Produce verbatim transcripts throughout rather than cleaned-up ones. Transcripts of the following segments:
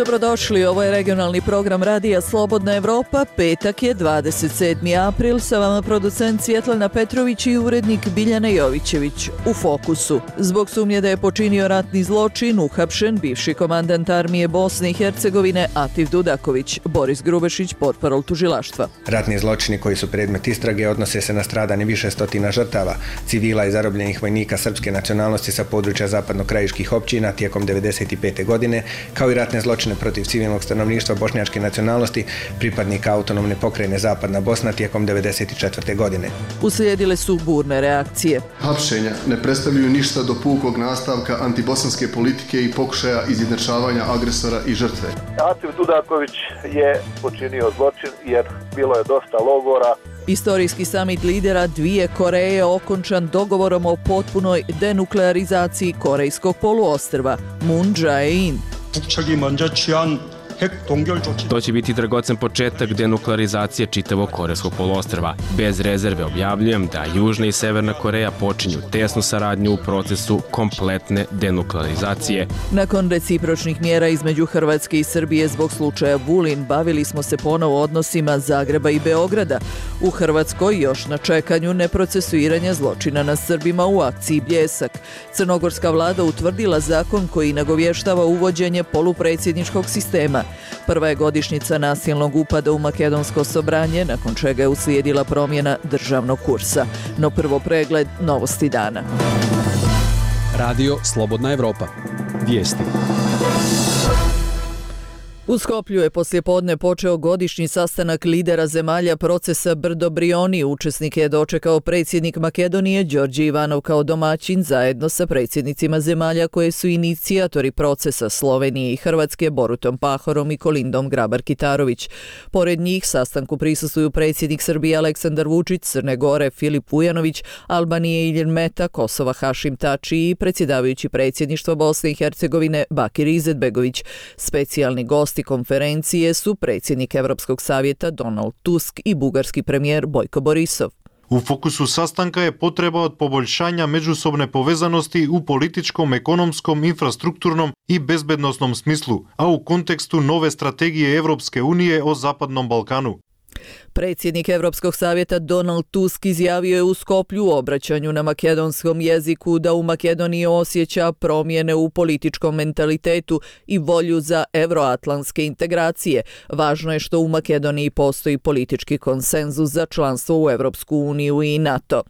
Dobrodošli, ovo je regionalni program Radija Slobodna Evropa. Petak je dvadeset sedmi april, sa vama producent Svjetlana Petrović i urednik Biljana Jovićević. U fokusu. Zbog sumnje da je počinio ratni zločin, uhapšen bivši komandant armije Bosne i Hercegovine Atif Dudaković. Boris Grubešić, portparol tužilaštva. Ratni zločini koji su predmet istrage odnose se na stradanje više stotina žrtava, civila i zarobljenih vojnika srpske nacionalnosti sa područja zapadno-krajiških općina tijekom devedeset pete godine, kao i ratne zločine protiv civilnog stanovništva bošnjačke nacionalnosti, pripadnika autonomne pokrajine Zapadna Bosna tijekom devedeset četvrte godine. Uslijedile su burne reakcije. Hapšenja ne predstavljaju ništa do pukog nastavka antibosanske politike i pokušaja izjednačavanja agresora i žrtve. Atif Dudaković je počinio zločin jer bilo je dosta logora. Istorijski samit lidera dvije Koreje okončan dogovorom o potpunoj denuklearizaciji Korejskog poluostrva. Moon Jae-in. To će biti dragocen početak denuklearizacije čitavog Korejskog poluostrva. Bez rezerve objavljujem da Južna i Severna Koreja počinju tesnu saradnju u procesu kompletne denuklearizacije. Nakon recipročnih mjera između Hrvatske i Srbije zbog slučaja Vulin, bavili smo se ponovo odnosima Zagreba i Beograda. U Hrvatskoj još na čekanju neprocesuiranja zločina na Srbima u akciji Bljesak. Crnogorska vlada utvrdila zakon koji nagovještava uvođenje polupredsjedničkog sistema. Prva je godišnjica nasilnog upada u makedonsko Sobranje, nakon čega je uslijedila promjena državnog kursa. No prvo pregled novosti dana. Radio Slobodna Evropa. Vijesti. U Skoplju je poslijepodne počeo godišnji sastanak lidera zemalja procesa Brdo Brioni. Učesnike je dočekao predsjednik Makedonije Đorđe Ivanov kao domaćin zajedno sa predsjednicima zemalja koje su inicijatori procesa Slovenije i Hrvatske Borutom Pahorom i Kolindom Grabar-Kitarović. Pored njih sastanku prisustvuju predsjednik Srbije Aleksandar Vučić, Crne Gore Filip Vujanović, Albanije Ilir Meta, Kosova Hašim Tači i predsjedavajući predsjedništva Bosne i Hercegovine Bakir Izetbegović. Specijalni gosti konferencije su predsjednik Evropskog savjeta Donald Tusk i bugarski premijer Bojko Borisov. U fokusu sastanka je potreba od poboljšanja međusobne povezanosti u političkom, ekonomskom, infrastrukturnom i bezbednosnom smislu, a u kontekstu nove strategije Evropske unije o Zapadnom Balkanu. Predsjednik Evropskog savjeta Donald Tusk izjavio je u Skoplju u obraćanju na makedonskom jeziku da u Makedoniji osjeća promjene u političkom mentalitetu i volju za evroatlantske integracije. Važno je što u Makedoniji postoji politički konsenzus za članstvo u Evropsku uniju i NATO.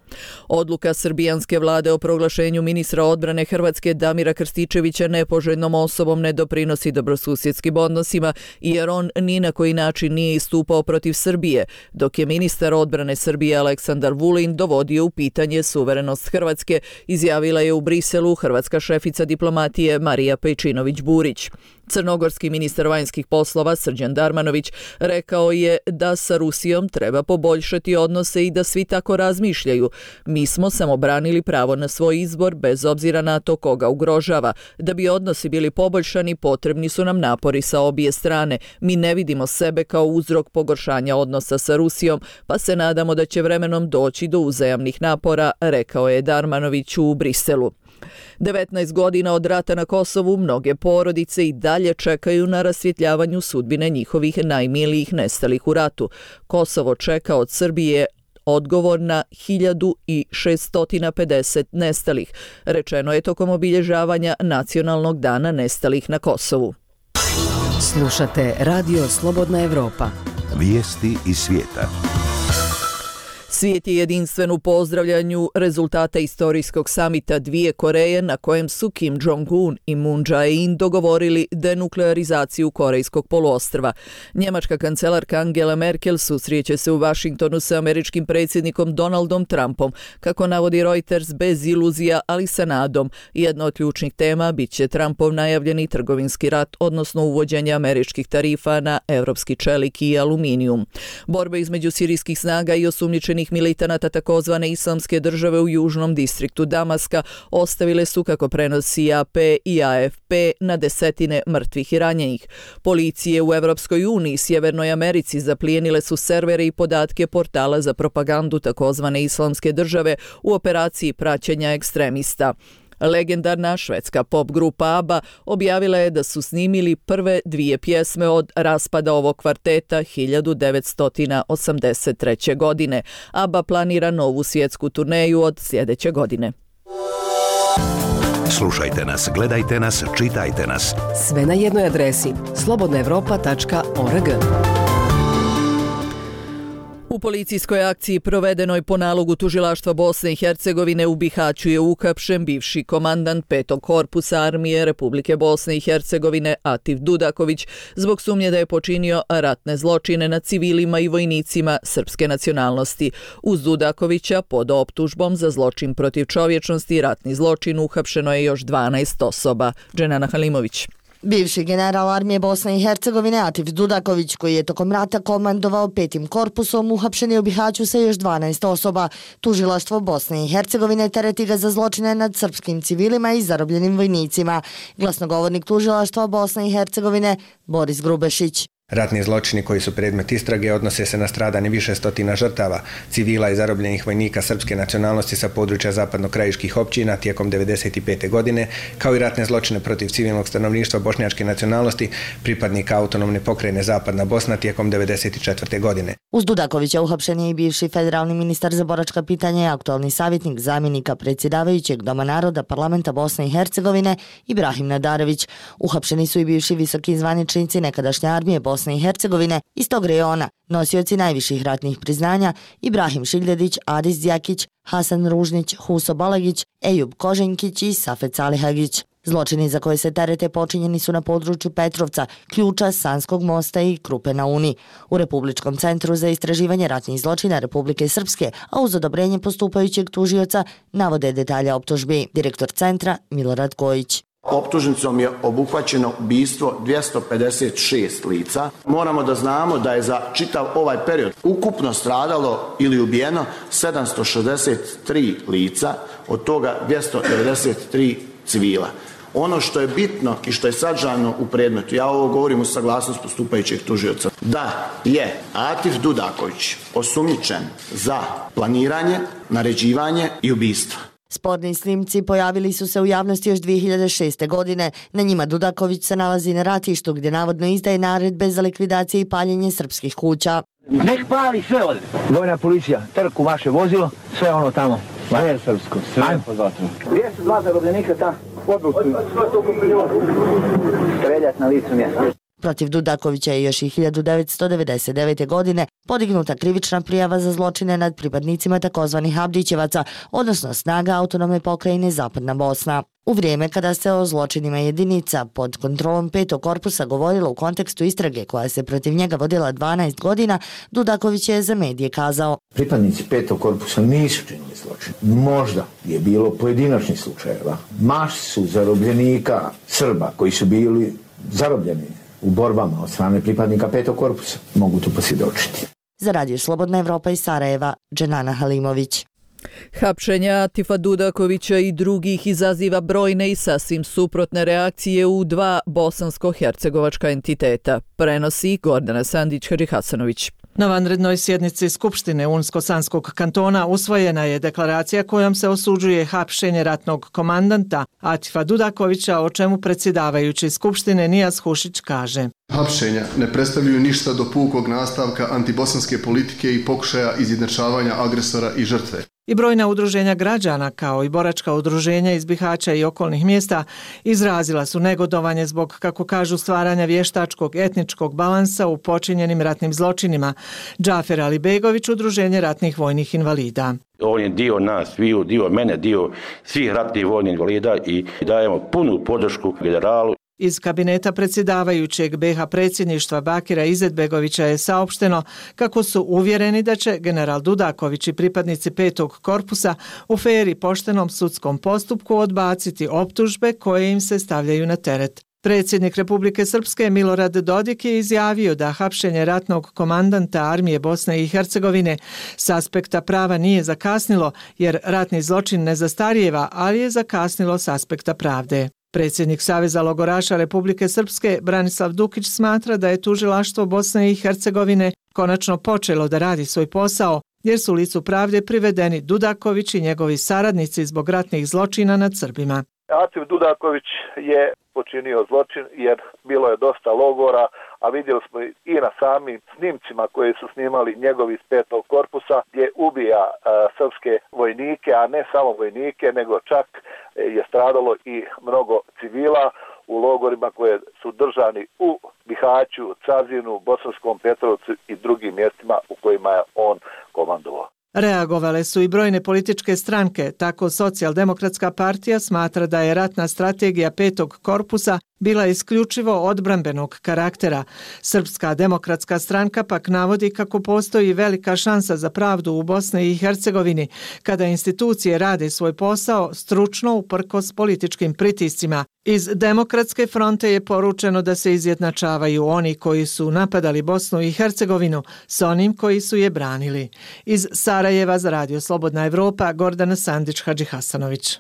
Odluka srbijanske vlade o proglašenju ministra odbrane Hrvatske Damira Krstičevića nepoželjnom osobom ne doprinosi dobrosusjedskim odnosima jer on ni na koji način nije istupao protiv Srbije, dok je ministar odbrane Srbije Aleksandar Vulin dovodio u pitanje suverenost Hrvatske, izjavila je u Briselu hrvatska šefica diplomatije Marija Pejčinović-Burić. Crnogorski ministar vanjskih poslova Srđan Darmanović rekao je da sa Rusijom treba poboljšati odnose i da svi tako razmišljaju. Mi smo samo branili pravo na svoj izbor bez obzira na to koga ugrožava. Da bi odnosi bili poboljšani, potrebni su nam napori sa obje strane. Mi ne vidimo sebe kao uzrok pogoršanja odnosa sa Rusijom, pa se nadamo da će vremenom doći do uzajamnih napora, rekao je Darmanović u Briselu. devetnaest godina od rata na Kosovu mnoge porodice i dalje čekaju na rasvjetljavanju sudbine njihovih najmilijih nestalih u ratu. Kosovo čeka od Srbije odgovor na hiljadu šeststo pedeset nestalih, rečeno je tokom obilježavanja Nacionalnog dana nestalih na Kosovu. Slušate Radio Slobodna Evropa. Vijesti iz svijeta. Svijet je jedinstven u pozdravljanju rezultata istorijskog samita dvije Koreje na kojem su Kim Jong-un i Moon Jae-in dogovorili denuklearizaciju Korejskog poluostrva. Njemačka kancelarka Angela Merkel susreće se u Vašingtonu sa američkim predsjednikom Donaldom Trumpom, kako navodi Reuters, bez iluzija, ali sa nadom. Jedna od ključnih tema bit će Trumpov najavljeni trgovinski rat, odnosno uvođenje američkih tarifa na evropski čelik i aluminijum. Borbe između sirijskih snaga i osumnjičenih militanata takozvane islamske države u južnom distriktu Damaska ostavile su, kako prenosi A P i A F P, na desetine mrtvih i ranjenih. Policije u Evropskoj uniji i Sjevernoj Americi zaplijenile su servere i podatke portala za propagandu takozvane islamske države u operaciji praćenja ekstremista. Legendarna švedska pop grupa ABBA objavila je da su snimili prve dvije pjesme od raspada ovog kvarteta hiljadu devetsto osamdeset treće. godine. ABBA planira novu svjetsku turneju od sljedeće godine. Slušajte nas, gledajte nas, čitajte nas. Sve na jednoj adresi slobodna evropa tačka org. U policijskoj akciji provedenoj po nalogu tužilaštva Bosne i Hercegovine u Bihaću je uhapšen bivši komandant petog korpusa armije Republike Bosne i Hercegovine Atif Dudaković zbog sumnje da je počinio ratne zločine nad civilima i vojnicima srpske nacionalnosti. Uz Dudakovića pod optužbom za zločin protiv čovječnosti i ratni zločin uhapšeno je još dvanaest osoba. Dženana Halimović. Bivši general armije Bosne i Hercegovine Atif Dudaković, koji je tokom rata komandovao petim korpusom, uhapšen je u Bihaću sa još dvanaest osoba. Tužilaštvo Bosne i Hercegovine tereti ga za zločine nad srpskim civilima i zarobljenim vojnicima. Glasnogovornik tužilaštva Bosne i Hercegovine Boris Grubešić. Ratni zločini koji su predmet istrage odnose se na stradanje više stotina žrtava, civila i zarobljenih vojnika srpske nacionalnosti sa područja zapadno-krajiških općina tijekom devedeset pete. godine, kao i ratne zločine protiv civilnog stanovništva bošnjačke nacionalnosti, pripadnika autonomne pokrajine Zapadna Bosna tijekom devedeset četvrte. godine. Uz Dudakovića uhapšen je i bivši federalni ministar za boračka pitanja i aktualni savjetnik zamjenika predsjedavajućeg Doma naroda Parlamenta Bosne i Hercegovine Ibrahim Nadarević. Uhapšeni su i bivši visoki zvaničnici nekadašnje armije Bosne i Hercegovine iz tog rejona, nosioci najviših ratnih priznanja Ibrahim Šiljedić, Adis Djakić, Hasan Ružnić, Huso Balagić, Ejub Koženkić i Safet Salihagić. Zločini za koje se terete počinjeni su na području Petrovca, Ključa, Sanskog mosta i Krupe na Uni. U Republičkom centru za istraživanje ratnih zločina Republike Srpske, a uz odobrenje postupajućeg tužioca, navode detalja optužbi. Direktor centra Milorad Kojić. Optužnicom je obuhvaćeno ubistvo dvjesto pedeset šest lica. Moramo da znamo da je za čitav ovaj period ukupno stradalo ili ubijeno sedamsto šezdeset tri lica, od toga dvjesto devedeset tri civila. Ono što je bitno i što je sadržano u predmetu, ja ovo govorim u saglasnost postupajućeg tužioca, da je Atif Dudaković osumnjičen za planiranje, naređivanje i ubistvo. Sporni snimci pojavili su se u javnosti još dvije hiljade šeste. godine. Na njima Dudaković se nalazi na ratištu gdje navodno izdaje naredbe za likvidacije i paljenje srpskih kuća. Nek pali sve ovdje. Vojna policija, trku vaše vozilo, sve ono tamo. Sve srpsko, sve pod vatrom. Gdje su dva zarobljenika ta? Odlučuju. Streljat na licu mjesta. Protiv Dudakovića je još i hiljadu devetsto devedeset devete. godine podignuta krivična prijava za zločine nad pripadnicima takozvanih Abdićevaca, odnosno snaga autonomne pokrajine Zapadna Bosna. U vrijeme kada se o zločinima jedinica pod kontrolom petog korpusa govorilo u kontekstu istrage koja se protiv njega vodila dvanaest godina, Dudaković je za medije kazao: pripadnici petog korpusa nisu činili zločin. Možda je bilo pojedinačnih slučajeva. Masu zarobljenika Srba koji su bili zarobljeni u borbama od strane pripadnika petog korpusa mogu to posvjedočiti. Za Radio Slobodna Evropa iz Sarajeva, Dženana Halimović. Hapšenja Atifa Dudakovića i drugih izaziva brojne i sasvim suprotne reakcije u dva bosansko-hercegovačka entiteta, prenosi Gordana Sandić-Harihasanović. Na vanrednoj sjednici Skupštine Unsko-Sanskog kantona usvojena je deklaracija kojom se osuđuje hapšenje ratnog komandanta Atifa Dudakovića, o čemu predsjedavajući Skupštine Nijas Hušić kaže: hapšenja ne predstavljaju ništa do pukog nastavka antibosanske politike i pokušaja izjednačavanja agresora i žrtve. I brojna udruženja građana, kao i boračka udruženja iz Bihaća i okolnih mjesta, izrazila su negodovanje zbog, kako kažu, stvaranja vještačkog etničkog balansa u počinjenim ratnim zločinima. Džafer Alibegović, udruženje ratnih vojnih invalida. On je dio nas, dio mene, dio svih ratnih vojnih invalida i dajemo punu podršku generalu. Iz kabineta predsjedavajućeg be ha predsjedništva Bakira Izetbegovića je saopšteno kako su uvjereni da će general Dudaković i pripadnici petog korpusa u fer i poštenom sudskom postupku odbaciti optužbe koje im se stavljaju na teret. Predsjednik Republike Srpske Milorad Dodik je izjavio da hapšenje ratnog komandanta armije Bosne i Hercegovine s aspekta prava nije zakasnilo, jer ratni zločin ne zastarijeva, ali je zakasnilo s aspekta pravde. Predsjednik Saveza logoraša Republike Srpske Branislav Dukić smatra da je tužilaštvo Bosne i Hercegovine konačno počelo da radi svoj posao, jer su licu pravde privedeni Dudaković i njegovi saradnici zbog ratnih zločina nad Srbima. Acif Dudaković je počinio zločin jer bilo je dosta logora, a vidjeli smo i na samim snimcima koje su snimali njegovi iz petog korpusa gdje ubija a, srpske vojnike, a ne samo vojnike, nego čak je stradalo i mnogo civila u logorima koje su držani u Bihaću, Cazinu, Bosanskom Petrovcu i drugim mjestima u kojima je on komandovao. Reagovale su i brojne političke stranke, tako Socijaldemokratska partija smatra da je ratna strategija petog korpusa bila isključivo odbrambenog karaktera. Srpska demokratska stranka pak navodi kako postoji velika šansa za pravdu u Bosni i Hercegovini kada institucije rade svoj posao stručno uprkos političkim pritiscima. Iz Demokratske fronte je poručeno da se izjednačavaju oni koji su napadali Bosnu i Hercegovinu s onim koji su je branili. Iz Sarajeva za Radio Slobodna Evropa, Gordana Sandić-Hadžihasanović.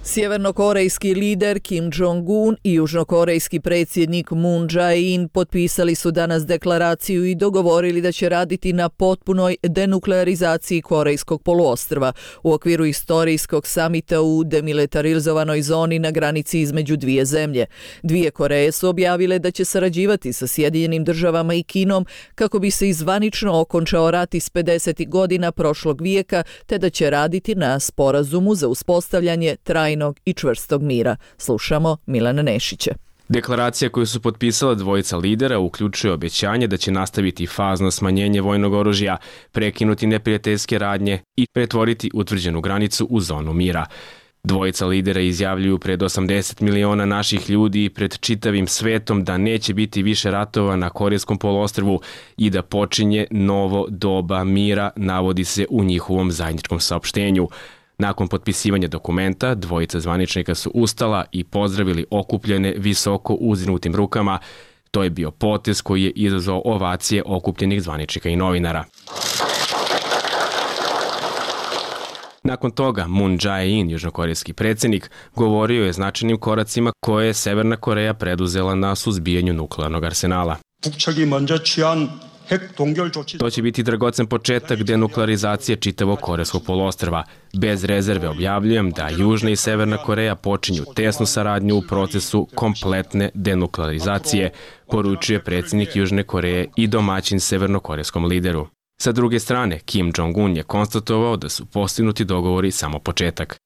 Sjevernokorejski lider Kim Jong-un i južnokorejski predsjednik Moon Jae-in potpisali su danas deklaraciju i dogovorili da će raditi na potpunoj denuklearizaciji Korejskog poluostrva u okviru istorijskog samita u demilitarizovanoj zoni na granici između dvije zemlje. Dvije Koreje su objavile da će sarađivati sa Sjedinjenim državama i Kinom kako bi se izvanično okončao rat iz pedesetih godina prošlog vijeka, te da će raditi na sporazumu za uspostavljanje trajnog i čvrstog mira. Slušamo Milana Nešića. Deklaracija koju su potpisala dvojica lidera uključuje obećanje da će nastaviti fazno smanjenje vojnog oružja, prekinuti neprijateljske radnje i pretvoriti utvrđenu granicu u zonu mira. Dvojica lidera izjavljuju pred osamdeset miliona naših ljudi i pred čitavim svetom da neće biti više ratova na Korejskom poluostrvu i da počinje novo doba mira, navodi se u njihovom zajedničkom saopštenju. Nakon potpisivanja dokumenta, dvojica zvaničnika su ustala i pozdravili okupljene visoko uzdignutim rukama. To je bio potez koji je izazvao ovacije okupljenih zvaničnika i novinara. Nakon toga, Moon Jae-in, južnokorejski predsjednik, govorio je značajnim koracima koje je Severna Koreja preduzela na suzbijanju nuklearnog arsenala. To će biti dragocen početak denuklearizacije čitavog Korejskog poluostrva. Bez rezerve objavljujem da Južna i Severna Koreja počinju tesnu saradnju u procesu kompletne denuklearizacije, poručuje predsjednik Južne Koreje i domaćin severnokorejskom lideru. Sa druge strane, Kim Jong-un je konstatovao da su postignuti dogovori samo početak.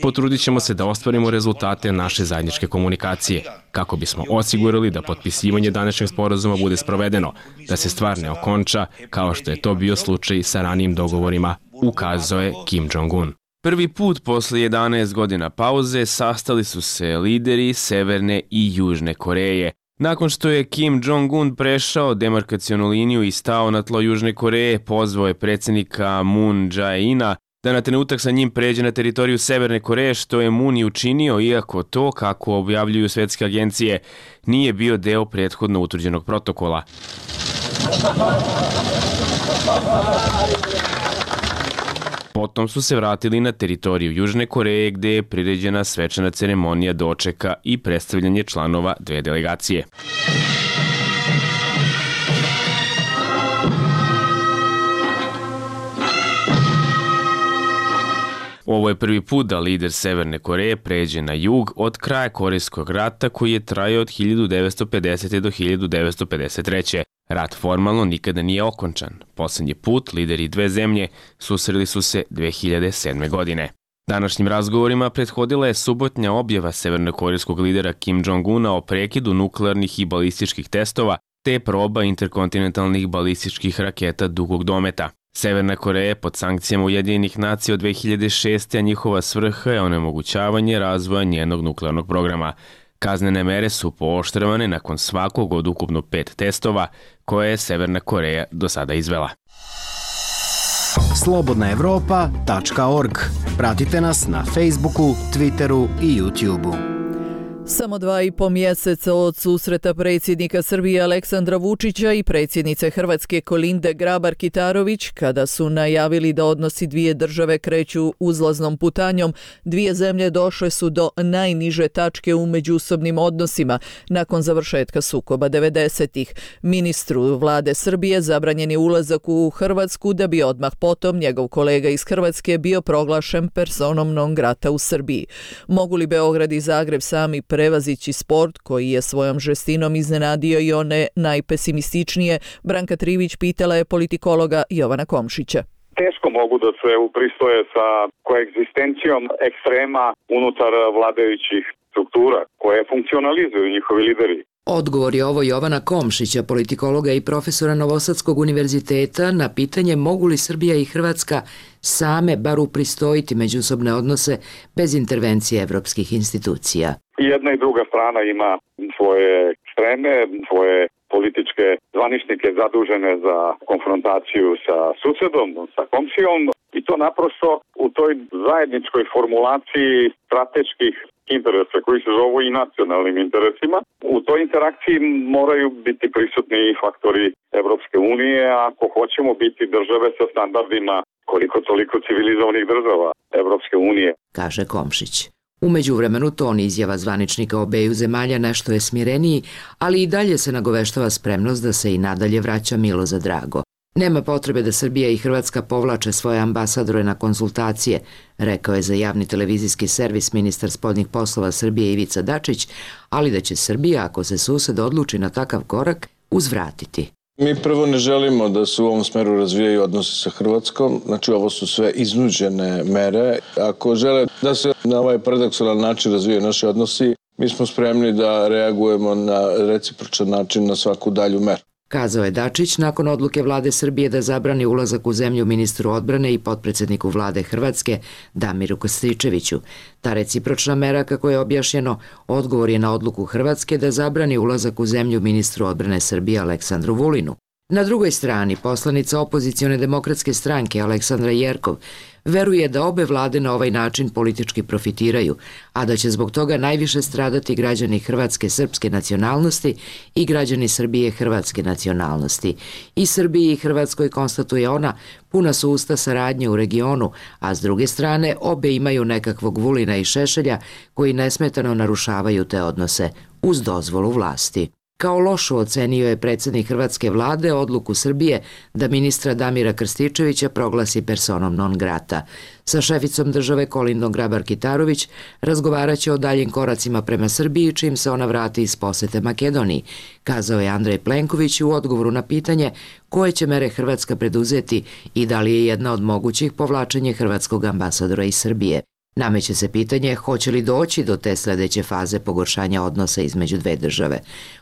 Potrudit ćemo se da ostvarimo rezultate naše zajedničke komunikacije, kako bismo osigurali da potpisivanje današnjeg sporazuma bude sprovedeno, da se stvar ne okonča, kao što je to bio slučaj sa ranijim dogovorima, ukazao je Kim Jong-un. Prvi put posle jedanaest godina pauze sastali su se lideri Severne i Južne Koreje. Nakon što je Kim Jong-un prešao demarkacionu liniju i stao na tlo Južne Koreje, pozvao je predsjednika Moon Jae-ina da na trenutak sa njim pređe na teritoriju Severne Koreje, što je Moon i učinio, iako to, kako objavljuju svetske agencije, nije bio deo prethodno utvrđenog protokola. Potom su se vratili na teritoriju Južne Koreje gde je priređena svečana ceremonija dočeka i predstavljanje članova dve delegacije. Ovo je prvi put da lider Severne Koreje pređe na jug od kraja Korejskog rata koji je trajao od hiljadu devetsto pedesete. do hiljadu devetsto pedeset treće. Rat formalno nikada nije okončan. Poslednji put lideri dve zemlje susreli su se dve hiljade sedme. godine. Današnjim razgovorima prethodila je subotnja objava severnokorejskog lidera Kim Jong-una o prekidu nuklearnih i balističkih testova te proba interkontinentalnih balističkih raketa dugog dometa. Severna Koreja je pod sankcijama Ujedinjenih nacija od dve hiljade šeste. a njihova svrha je onemogućavanje razvoja njenog nuklearnog programa. Kaznene mere su pooštravane nakon svakog od ukupno pet testova koje je Severna Koreja do sada izvela. slobodna evropa tačka org. Pratite nas na Facebooku, Twitteru i YouTubeu. Samo dva i po mjeseca od susreta predsjednika Srbije Aleksandra Vučića i predsjednice Hrvatske Kolinde Grabar-Kitarović, kada su najavili da odnosi dvije države kreću uzlaznom putanjom, dvije zemlje došle su do najniže tačke u međusobnim odnosima nakon završetka sukoba devedesetih. Ministru vlade Srbije zabranjen je ulazak u Hrvatsku, da bi odmah potom njegov kolega iz Hrvatske bio proglašen personom non grata u Srbiji. Mogu li Beograd i Zagreb sami prevazići sport koji je svojom žestinom iznenadio i one najpesimističnije? Branka Trivić pitala je politikologa Jovana Komšića. Teško mogu da se upristoje sa koegzistencijom ekstrema unutar vladajućih struktura koje funkcionalizuju njihovi lideri. Odgovor je ovo Jovana Komšića, politikologa i profesora Novosadskog univerziteta, na pitanje mogu li Srbija i Hrvatska same bar upristojiti međusobne odnose bez intervencije evropskih institucija. I jedna i druga strana ima svoje ekstreme, svoje političke zvaničnike zadužene za konfrontaciju sa susedom, sa komšijom, i to naprosto u toj zajedničkoj formulaciji strateških interesa koji se zovu i nacionalnim interesima. U toj interakciji moraju biti prisutni i faktori Evropske unije ako hoćemo biti države sa standardima koliko toliko civilizovanih država Evropske unije, kaže Komšić. U međuvremenu ton izjava zvaničnika obeju zemalja nešto je smireniji, ali i dalje se nagoveštava spremnost da se i nadalje vraća milo za drago. Nema potrebe da Srbija i Hrvatska povlače svoje ambasadore na konsultacije, rekao je za javni televizijski servis ministar spoljnih poslova Srbije Ivica Dačić, ali da će Srbija, ako se sused odluči na takav korak, uzvratiti. Mi prvo ne želimo da se u ovom smeru razvijaju odnosi sa Hrvatskom, znači ovo su sve iznuđene mere. Ako žele da se na ovaj paradoksalan način razvijaju naši odnosi, mi smo spremni da reagujemo na recipročan način na svaku dalju meru, kazao je Dačić nakon odluke vlade Srbije da zabrani ulazak u zemlju ministru odbrane i potpredsjedniku vlade Hrvatske Damiru Krstičeviću. Ta recipročna mera, kako je objašnjeno, odgovor je na odluku Hrvatske da zabrani ulazak u zemlju ministru odbrane Srbije Aleksandru Vulinu. Na drugoj strani, poslanica opozicione demokratske stranke Aleksandra Jerkov veruje da obe vlade na ovaj način politički profitiraju, a da će zbog toga najviše stradati građani Hrvatske srpske nacionalnosti i građani Srbije hrvatske nacionalnosti. I Srbiji i Hrvatskoj, konstatuje ona, puna su usta saradnje u regionu, a s druge strane obe imaju nekakvog Vulina i Šešelja koji nesmetano narušavaju te odnose uz dozvolu vlasti. Kao lošu ocenio je predsjednik hrvatske vlade odluku Srbije da ministra Damira Krstičevića proglasi personom non grata. Sa šeficom države Kolindom Grabar-Kitarović razgovarat će o daljim koracima prema Srbiji čim se ona vrati iz posete Makedoniji, kazao je Andrej Plenković u odgovoru na pitanje koje će mere Hrvatska preduzeti i da li je jedna od mogućih povlačenje hrvatskog ambasadora iz Srbije. Nameće se pitanje hoće li doći do te sljedeće faze pogoršanja odnosa između dve države.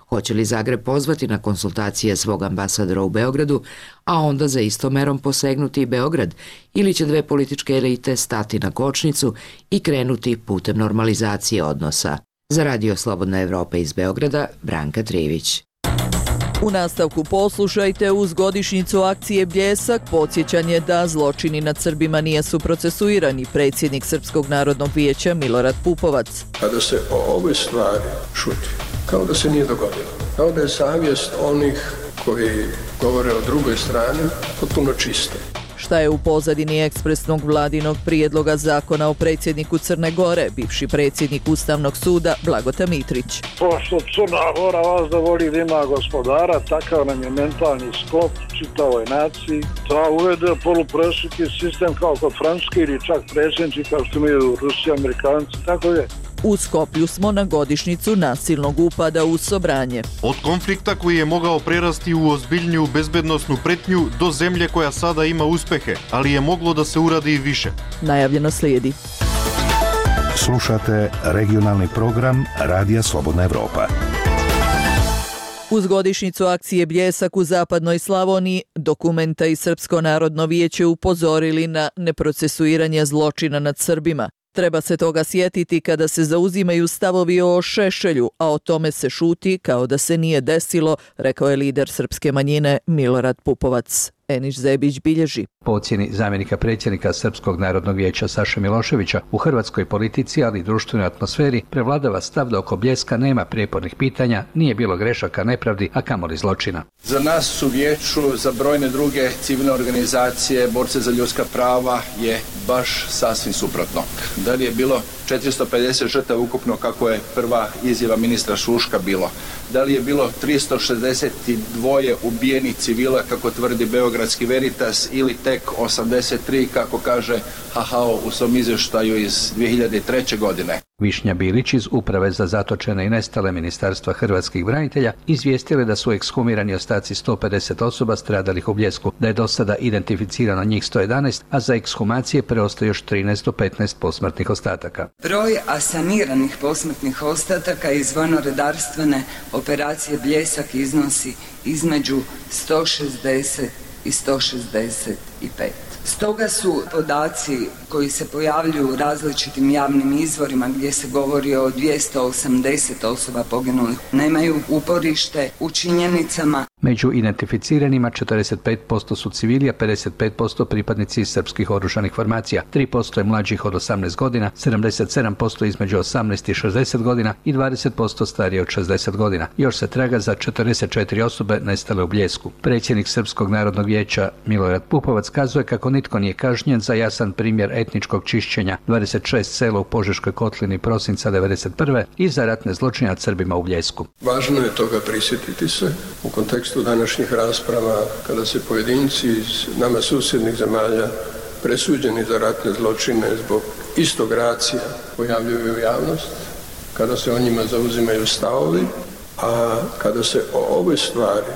Hoće li Zagreb pozvati na konsultacije svog ambasadora u Beogradu, a onda za istom merom posegnuti i Beograd, ili će dve političke elite stati na kočnicu i krenuti putem normalizacije odnosa. Za Radio Slobodna Evropa iz Beograda, Branka Trivić. U nastavku poslušajte uz godišnjicu akcije Bljesak podsjećanje da zločini nad Srbima nisu procesuirani, predsjednik Srpskog narodnog vijeća Milorad Pupovac. Kada se o ovoj stvari šuti, kao da se nije dogodilo, kao da je savjest onih koji govore o drugoj strani potpuno čista. Šta je u pozadini ekspresnog vladinog prijedloga zakona o predsjedniku Crne Gore, bivši predsjednik Ustavnog suda Blagota Mitrić? Pošto Crna Gora vas da voli da ima gospodara, takav nam je mentalni sklop čitavoj naciji, da uvede polupresudni sistem kao kod Francuske ili čak predsjednici kao što imaju Rusi, Amerikanci, tako je. U Skoplju smo na godišnjicu nasilnog upada u Sobranje. Od konflikta koji je mogao prerasti u ozbiljniju bezbednosnu pretnju do zemlje koja sada ima uspehe, ali je moglo da se uradi i više. Najavljeno slijedi. Slušate regionalni program Radija Slobodna Evropa. Uz godišnjicu akcije Bljesak u zapadnoj Slavoniji, Dokumenta i Srpsko narodno vijeće upozorili na neprocesuiranje zločina nad Srbima. Treba se toga sjetiti kada se zauzimaju stavovi o Šešelju, a o tome se šuti kao da se nije desilo, rekao je lider srpske manjine Milorad Pupovac. Enis Zebić bilježi. Po ocjeni zamjenika predsjednika Srpskog narodnog vijeća Saše Miloševića, u hrvatskoj politici, ali i društvenoj atmosferi prevladava stav da oko Bljeska nema prijepornih pitanja, nije bilo grešaka, nepravdi, a kamoli zločina. Za nas u vijeću, za brojne druge civilne organizacije, borce za ljudska prava je baš sasvim suprotno. Da li je bilo četiristo pedeset žrtava ukupno kako je prva izjava ministra Šuška bilo? Da li je bilo tristo šezdeset dva ubijenih civila kako tvrdi beogradski Veritas ili tek osamdeset tri kako kaže H H O u svom izvještaju iz dvije hiljade treće. godine? Višnja Bilić iz Uprave za zatočene i nestale Ministarstva hrvatskih branitelja izvijestile da su ekshumirani ostaci sto pedeset osoba stradalih u Bljesku, da je do sada identificirano njih sto jedanaest, a za ekshumacije preostaje još trinaest do petnaest posmrtnih ostataka. Broj asaniranih posmrtnih ostataka iz vojno-redarstvene operacije Bljesak iznosi između sto šezdeset i sto šezdeset pet. Stoga su podaci koji se pojavljuju u različitim javnim izvorima gdje se govori o dvjesto osamdeset osoba poginulih nemaju uporište u činjenicama. Među identificiranima četrdeset pet posto su civili, a pedeset pet posto pripadnici srpskih oružanih formacija, tri posto je mlađih od osamnaest godina, sedamdeset sedam posto između osamnaest i šezdeset godina i dvadeset posto starije od šezdeset godina. Još se traga za četrdeset četiri osobe nestale u Bljesku. Predsjednik Srpskog narodnog vijeća Milorad Pupovac kazuje kako nitko nije kažnjen za jasan primjer etničkog čišćenja dvadeset šest sela u Požeškoj kotlini prosinca devedeset prve i za ratne zločine nad Srbima u Bljesku. Važno je toga prisjetiti se u kontekstu današnjih rasprava kada se pojedinci iz nama susjednih zemalja presuđeni za ratne zločine zbog istog racija pojavljuju u javnost, kada se o njima zauzimaju stavovi, a kada se o ovoj stvari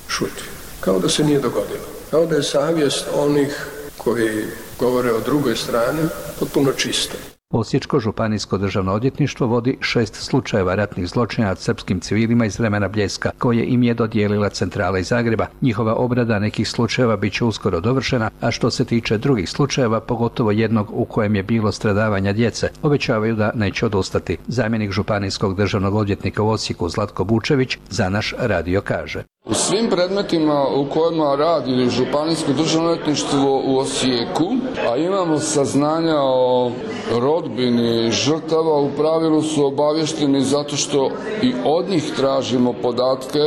šuti, kao da se nije dogodilo. Kao da je savjest onih koji govore o drugoj strani potpuno čista. Osječko županijsko državno odvjetništvo vodi šest slučajeva ratnih zločina nad srpskim civilima iz vremena Bljeska, koje im je dodijelila centrala iz Zagreba. Njihova obrada nekih slučajeva bit će uskoro dovršena, a što se tiče drugih slučajeva, pogotovo jednog u kojem je bilo stradavanja djece, obećavaju da neće odustati. Zamjenik županijskog državnog odvjetnika u Osijeku Zlatko Bučević za naš radio kaže. U svim predmetima u kojima radi županijsko državno odvjetništvo u Osijeku, a imamo saznanja o rodbini žrtava, u pravilu su obavješteni zato što i od njih tražimo podatke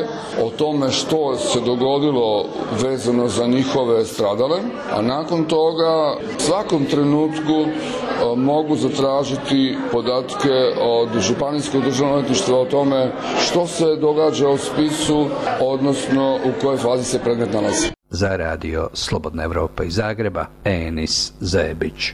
o tome što se dogodilo vezano za njihove stradale, a nakon toga u svakom trenutku mogu zatražiti podatke od županijskog državnog odvjetništva o tome što se događa u spisu, odnosno u kojoj fazi se predmet nalazi. Za radio Slobodna Evropa iz Zagreba, Enis Zebić.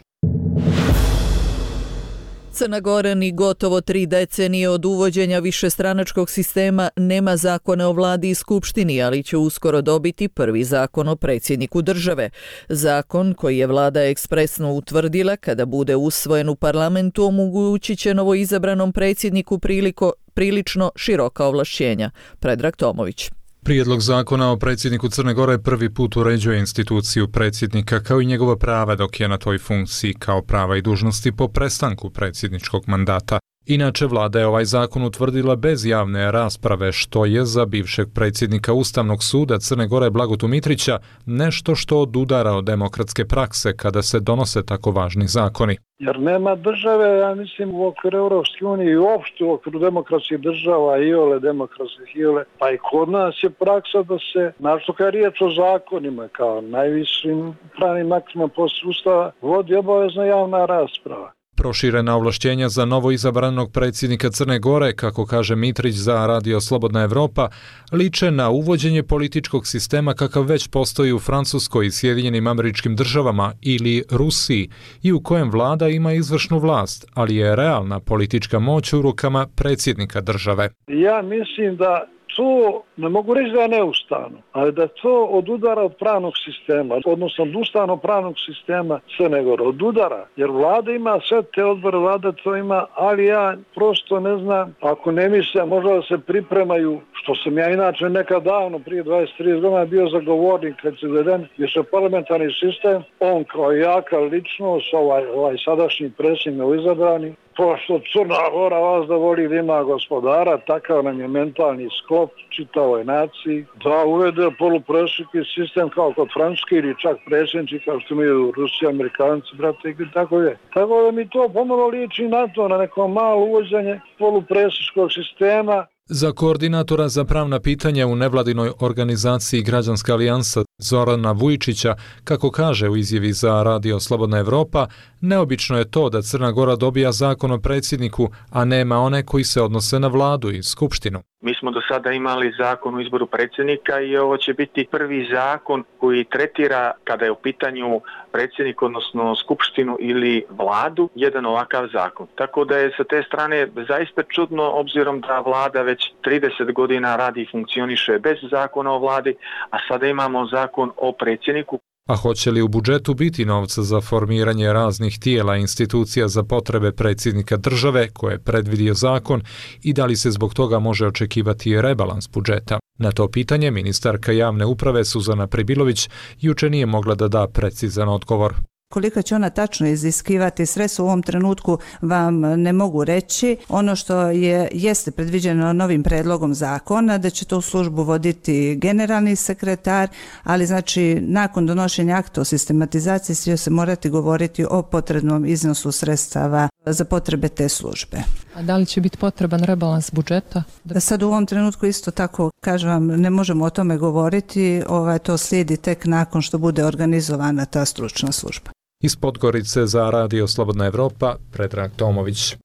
Crna Gora ni gotovo tri decenije od uvođenja višestranačkog sistema nema zakone o vladi i skupštini, ali će uskoro dobiti prvi zakon o predsjedniku države. Zakon koji je vlada ekspresno utvrdila kada bude usvojen u parlamentu omogućit će novoizabranom predsjedniku priliko, prilično široka ovlašćenja. Predrag Tomović. Prijedlog zakona o predsjedniku Crne Gore prvi put uređuje instituciju predsjednika kao i njegova prava dok je na toj funkciji, kao prava i dužnosti po prestanku predsjedničkog mandata. Inače, vlada je ovaj zakon utvrdila bez javne rasprave, što je za bivšeg predsjednika Ustavnog suda Crne Gore Blagotu Mitrića nešto što odudara od demokratske prakse kada se donose tako važni zakoni. Jer nema države, ja mislim, u okviru Europske unije i uopšte u okviru demokratskih država, i ole demokratskih, i ole, pa i kod nas je praksa da se, našto kad je riječ o zakonima, kao najvišim pravnim aktima poslije Ustava, vodi obavezna javna rasprava. Proširena ovlašćenja za novo izabranog predsjednika Crne Gore, kako kaže Mitrić za radio Slobodna Evropa, liče na uvođenje političkog sistema kakav već postoji u Francuskoj i Sjedinjenim Američkim Državama ili Rusiji i u kojem vlada ima izvršnu vlast, ali je realna politička moć u rukama predsjednika države. Ja mislim da to, ne mogu reći da je neustavno, ali da to odudara od pravnog sistema, odnosno od ustavnog pravnog sistema Crne Gore, odudara, jer vlada ima sve te odbore, vlada to ima, ali ja prosto ne znam, ako ne mislim, možda da se pripremaju, što sam ja inače nekad davno, prije dvadeset trideset godina bio zagovornik kad se uveden više parlamentarni sistem, on kao jaka ličnost, ovaj, ovaj sadašnji predsjednik izabrani, Pošto Crna Gora vas da voli da ima gospodara, takav nam je mentalni sklop čitavoj naciji, da uvede poluprešiki sistem kao kod Francuske ili čak predsjednici kao što imaju Rusi, Amerikanci, brate, i tako je. Tako da mi to pomalo liči na to, na neko malo uvođenje poluprešničkog sistema. Za koordinatora za pravna pitanja u nevladinoj organizaciji Građanska alijansa Zorana Vujčića, kako kaže u izjavi za Radio Slobodna Evropa, neobično je to da Crna Gora dobija zakon o predsjedniku, a nema one koji se odnose na vladu i skupštinu. Mi smo do sada imali zakon o izboru predsjednika i ovo će biti prvi zakon koji tretira, kada je u pitanju predsjednik, odnosno skupštinu ili vladu, jedan ovakav zakon. Tako da je sa te strane zaista čudno, obzirom da vlada već trideset godina radi i funkcioniše bez zakona o vladi, a sada imamo zakon o predsjedniku. A hoće li u budžetu biti novca za formiranje raznih tijela i institucija za potrebe predsjednika države koje je predvidio zakon i da li se zbog toga može očekivati rebalans budžeta? Na to pitanje ministarka javne uprave Suzana Pribilović juče nije mogla da da precizan odgovor. Koliko će ona tačno iziskivati sredstva u ovom trenutku vam ne mogu reći. Ono što je jeste predviđeno novim predlogom zakona da će to u službu voditi generalni sekretar, ali znači nakon donošenja akta o sistematizaciji će se morati govoriti o potrebnom iznosu sredstava za potrebe te službe. A da li će biti potreban rebalans budžeta? Da sad u ovom trenutku isto tako, kažem vam, ne možemo o tome govoriti, ovaj, to slijedi tek nakon što bude organizovana ta stručna služba. Iz Podgorice za Radio Slobodna Evropa, Predrag Tomović.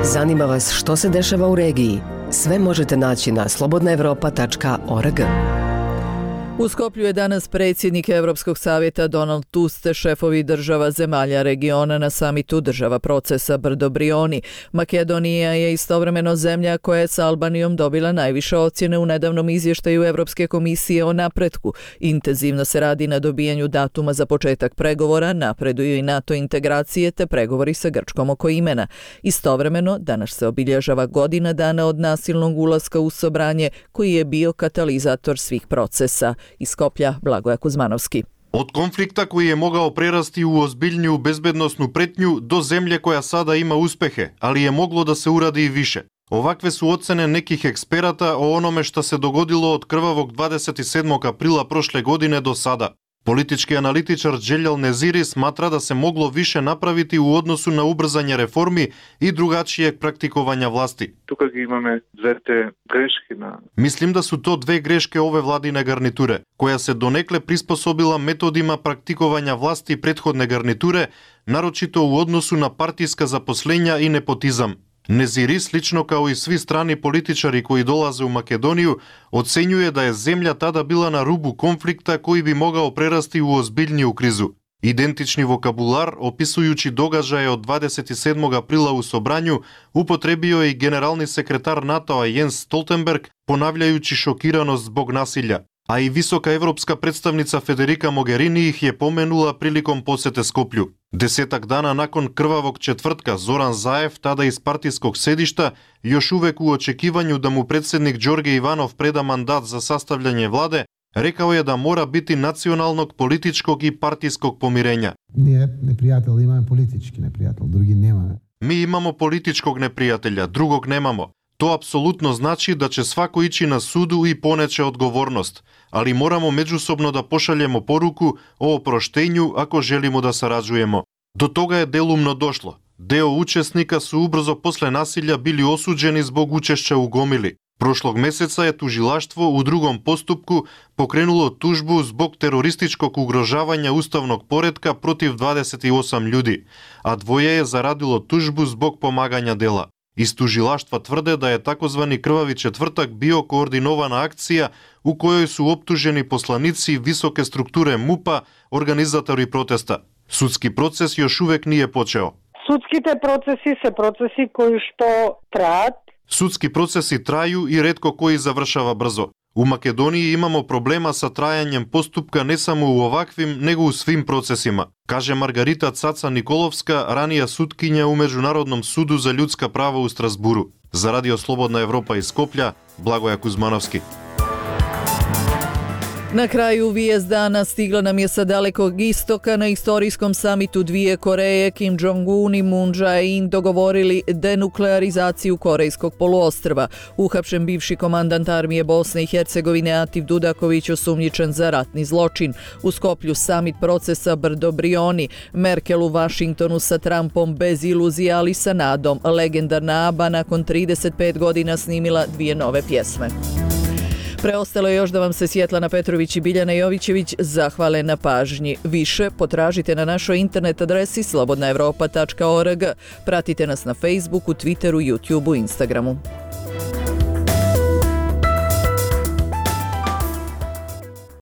Zanima vas što se dešava u regiji? Sve možete naći na slobodna evropa tačka org. U Skoplju je danas predsjednik Evropskog savjeta Donald Tusk te šefovi država zemalja regiona na samitu država procesa Brdo Brioni. Makedonija je istovremeno zemlja koja je s Albanijom dobila najviše ocjene u nedavnom izvještaju Evropske komisije o napretku. Intenzivno se radi na dobijanju datuma za početak pregovora, napreduju i NATO integracije te pregovori sa Grčkom oko imena. Istovremeno, danas se obilježava godina dana od nasilnog ulaska u Sobranje koji je bio katalizator svih procesa. Iz Skoplja, Blagoja Kuzmanovski. Od konflikta koji je mogao prerasti u ozbiljniju bezbednosnu pretnju do zemlje koja sada ima uspehe, ali je moglo da se uradi i više. Ovakve su ocene nekih eksperata o onome što se dogodilo od krvavog dvadeset sedmog aprila prošle godine do sada. Politički analitičar Đeljal Neziri smatra da se moglo više napraviti u odnosu na ubrzanje reformi i drugačijeg praktikovanja vlasti. Тука ги имаме двете грешки на... Mislim da su to dve greške ove vladine garniture, koja se donekle prispоsobila metodima praktikovanja vlasti prethodne garniture, naročito u odnosu na partijska zaposlenja i nepotizam. Neziri, slično kao i svi strani političari koji dolaze u Makedoniju, ocenjuje da je zemlja tada bila na rubu konflikta koji bi mogao prerasti u ozbiljniju krizu. Identični vokabular, opisujući događaje od dvadeset sedmog aprila u Sobranju, upotrebio je i generalni sekretar NATO-a Jens Stoltenberg, ponavljajući šokiranost zbog nasilja. A i visoka evropska predstavnica Federica Mogherini ih je pomenula prilikom posete Skoplju. Desetak dana nakon krvavog četvrtka Zoran Zaev, tada iz partijskog sedišta, još uvek u očekivanju da mu predsjednik Đorđe Ivanov preda mandat za sastavljanje vlade, rekao je da mora biti nacionalnog, političkog i partijskog pomirenja. Nije neprijatelj, imamo politički neprijatelj, drugi nema. Mi imamo političkog neprijatelja, drugog nemamo. To apsolutno znači da će svako ići na sudu i poneće odgovornost, ali moramo međusobno da pošaljemo poruku o oproštenju ako želimo da sarađujemo. Do toga je delumno došlo. Deo učesnika su ubrzo posle nasilja bili osuđeni zbog učešća u gomili. Prošlog meseca je tužilaštvo u drugom postupku pokrenulo tužbu zbog terorističkog ugrožavanja ustavnog poretka protiv dvadeset osam ljudi, a dvoje je zaradilo tužbu zbog pomaganja dela. Iz tužilaštva tvrde da je takozvani krvavi četvrtak bio koordinovana akcija u kojoj su optuženi poslanici visoke strukture MUP-a, organizatori protesta. Sudski proces još uvek nije počeo. Sudskite procesi se procesi koji što trajat. Sudski procesi traju i retko koji završava brzo. U Makedoniji imamo problema sa trajanjem postupka ne samo u ovakvim, nego u svim procesima, kaže Margarita Caca Nikolovska, ranija sutkinja u Međunarodnom sudu za ljudska prava u Strasburu. Za Radio Slobodna Evropa iz Skoplja, Blagoja Kuzmanovski. Na kraju vijest dana stigla nam je sa dalekog istoka. Na istorijskom samitu dvije Koreje Kim Jong-un i Moon Jae-in dogovorili denuklearizaciju Korejskog poluostrva. Uhapšen bivši komandant armije Bosne i Hercegovine Atif Dudaković osumnjičen za ratni zločin. U Skoplju samit procesa Brdo Brioni. Merkel u Vašingtonu sa Trumpom bez iluzija, ali sa nadom. Legendarna ABBA nakon trideset pet godina snimila dvije nove pjesme. Preostalo je još da vam se Svjetlana Petrović i Biljana Jovićević zahvale na pažnji. Više potražite na našoj internet adresi slobodna evropa tačka org. Pratite nas na Facebooku, Twitteru, YouTubeu, Instagramu.